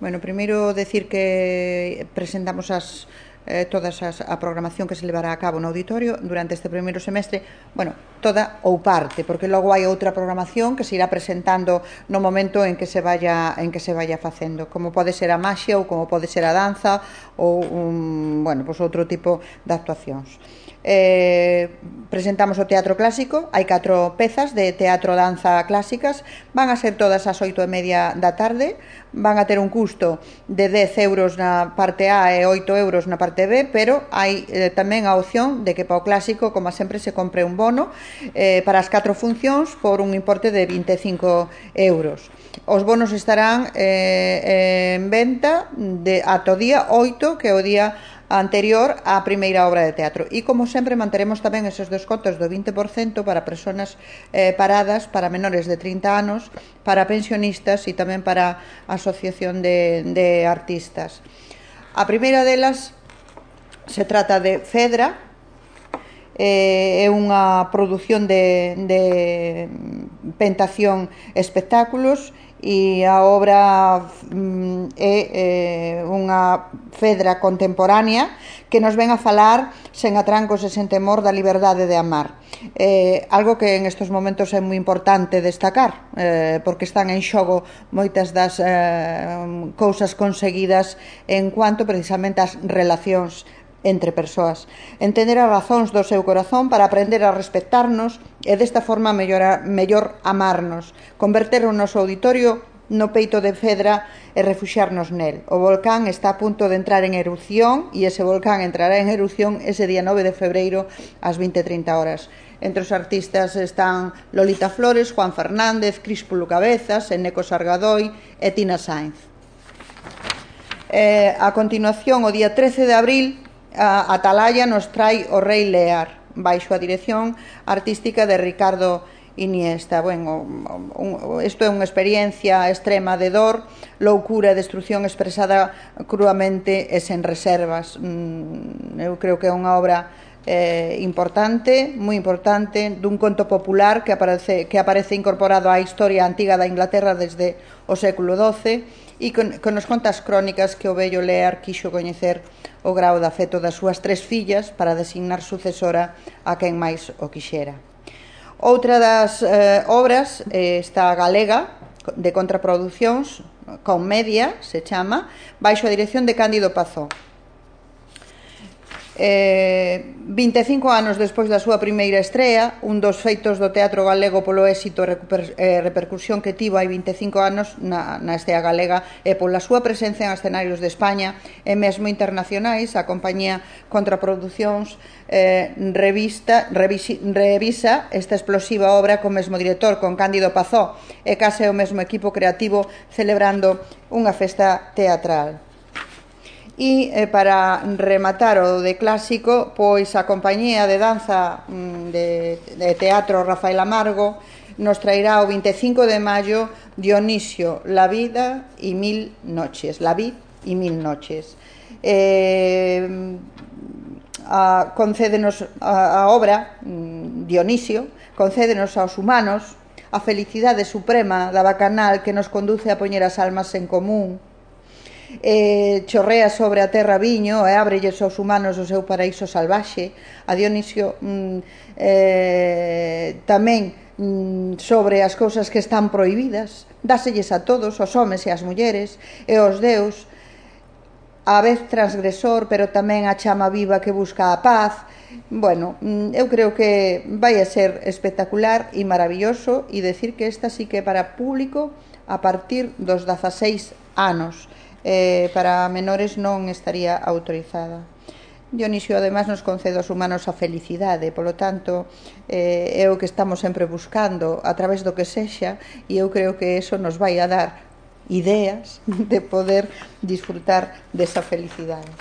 Bueno, primeiro decir que presentamos toda a programación que se levará a cabo no auditorio durante este primeiro semestre, bueno, toda ou parte, porque logo hai outra programación que se irá presentando no momento en que se vaya facendo, como pode ser a maxia ou como pode ser a danza ou bueno, pois outro tipo de actuacións. Presentamos o teatro clásico, hai 4 pezas de teatro-danza clásicas, van a ser todas ás 8:30 da tarde, van a ter un custo de 10 euros na parte A e 8 euros na parte B, pero hai tamén a opción de que para o clásico, como sempre, se compre un bono para as 4 funcións por un importe de 25 euros. Os bonos estarán en venta ata o día 8, que é o día anterior á primeira obra de teatro, e como sempre manteremos tamén esos descontos do 20% para persoas paradas, para menores de 30 anos, para pensionistas e tamén para a asociación de artistas. A primeira delas se trata de Fedra, é unha produción de Pentación Espectáculos, e a obra é unha Fedra contemporánea que nos ven a falar sen atrancos e sen temor da liberdade de amar, algo que en estes momentos é moi importante destacar, porque están en xogo moitas das cousas conseguidas en cuanto precisamente ás relacións entre persoas, entender as razóns do seu corazón para aprender a respectarnos e desta forma mellor amarnos, converter o noso auditorio no peito de Fedra e refuxiarnos nel. O volcán está a punto de entrar en erupción e ese volcán entrará en erupción ese día 9 de febreiro ás 20:30 horas. Entre os artistas están Lolita Flores, Juan Fernández, Críspulo Cabezas, Eneco Sargadoy e Tina Sainz. A continuación, o día 13 de abril, a Atalaya nos trai O Rei Lear, baixo a dirección artística de Ricardo Iniesta. Bueno, isto é unha experiencia extrema de dor, loucura e destrucción expresada cruamente e sen reservas. Eu creo que é unha obra importante, moi importante, dun conto popular que aparece incorporado á historia antiga da Inglaterra desde o século XII e que nos conta as crónicas que o vello Lear quixo coñecer o grao de afecto das súas 3 fillas para designar sucesora a quen máis o quixera. Outra das obras está Galega, de Contraproducións, Comedia, se chama, baixo a dirección de Cándido Pazó. 25 anos despois da súa primeira estrea, un dos feitos do teatro galego polo éxito e repercusión que tivo hai 25 anos na estea galega e pola súa presencia en escenarios de España e mesmo internacionais, a compañía Contraproducións revisa esta explosiva obra co mesmo director, con Cándido Pazó, e case o mesmo equipo creativo celebrando unha festa teatral. E para rematar o de clásico, pois a compañía de danza de teatro Rafael Amargo nos traerá o 25 de maio Dionisio, la vida y 1000 noches. La vid y 1000 noches. Concédenos a obra, Dionisio, concédenos aos humanos a felicidade suprema da bacanal que nos conduce a poñer as almas en común, chorrea sobre a terra viño e ábrelles aos humanos o seu paraíso salvaxe. A Dionisio tamén sobre as cousas que están prohibidas, dáselles a todos, aos homes e ás mulleres e aos deus, a vez transgresor, pero tamén a chama viva que busca a paz. Bueno, eu creo que vai a ser espectacular e maravilloso, e decir que esta sí que é para público a partir dos 16 anos. Para menores non estaría autorizada. Dionisio ademais nos concede aos humanos a felicidade, polo tanto é o que estamos sempre buscando a través do que sexa, e eu creo que eso nos vai a dar ideas de poder disfrutar desa felicidade.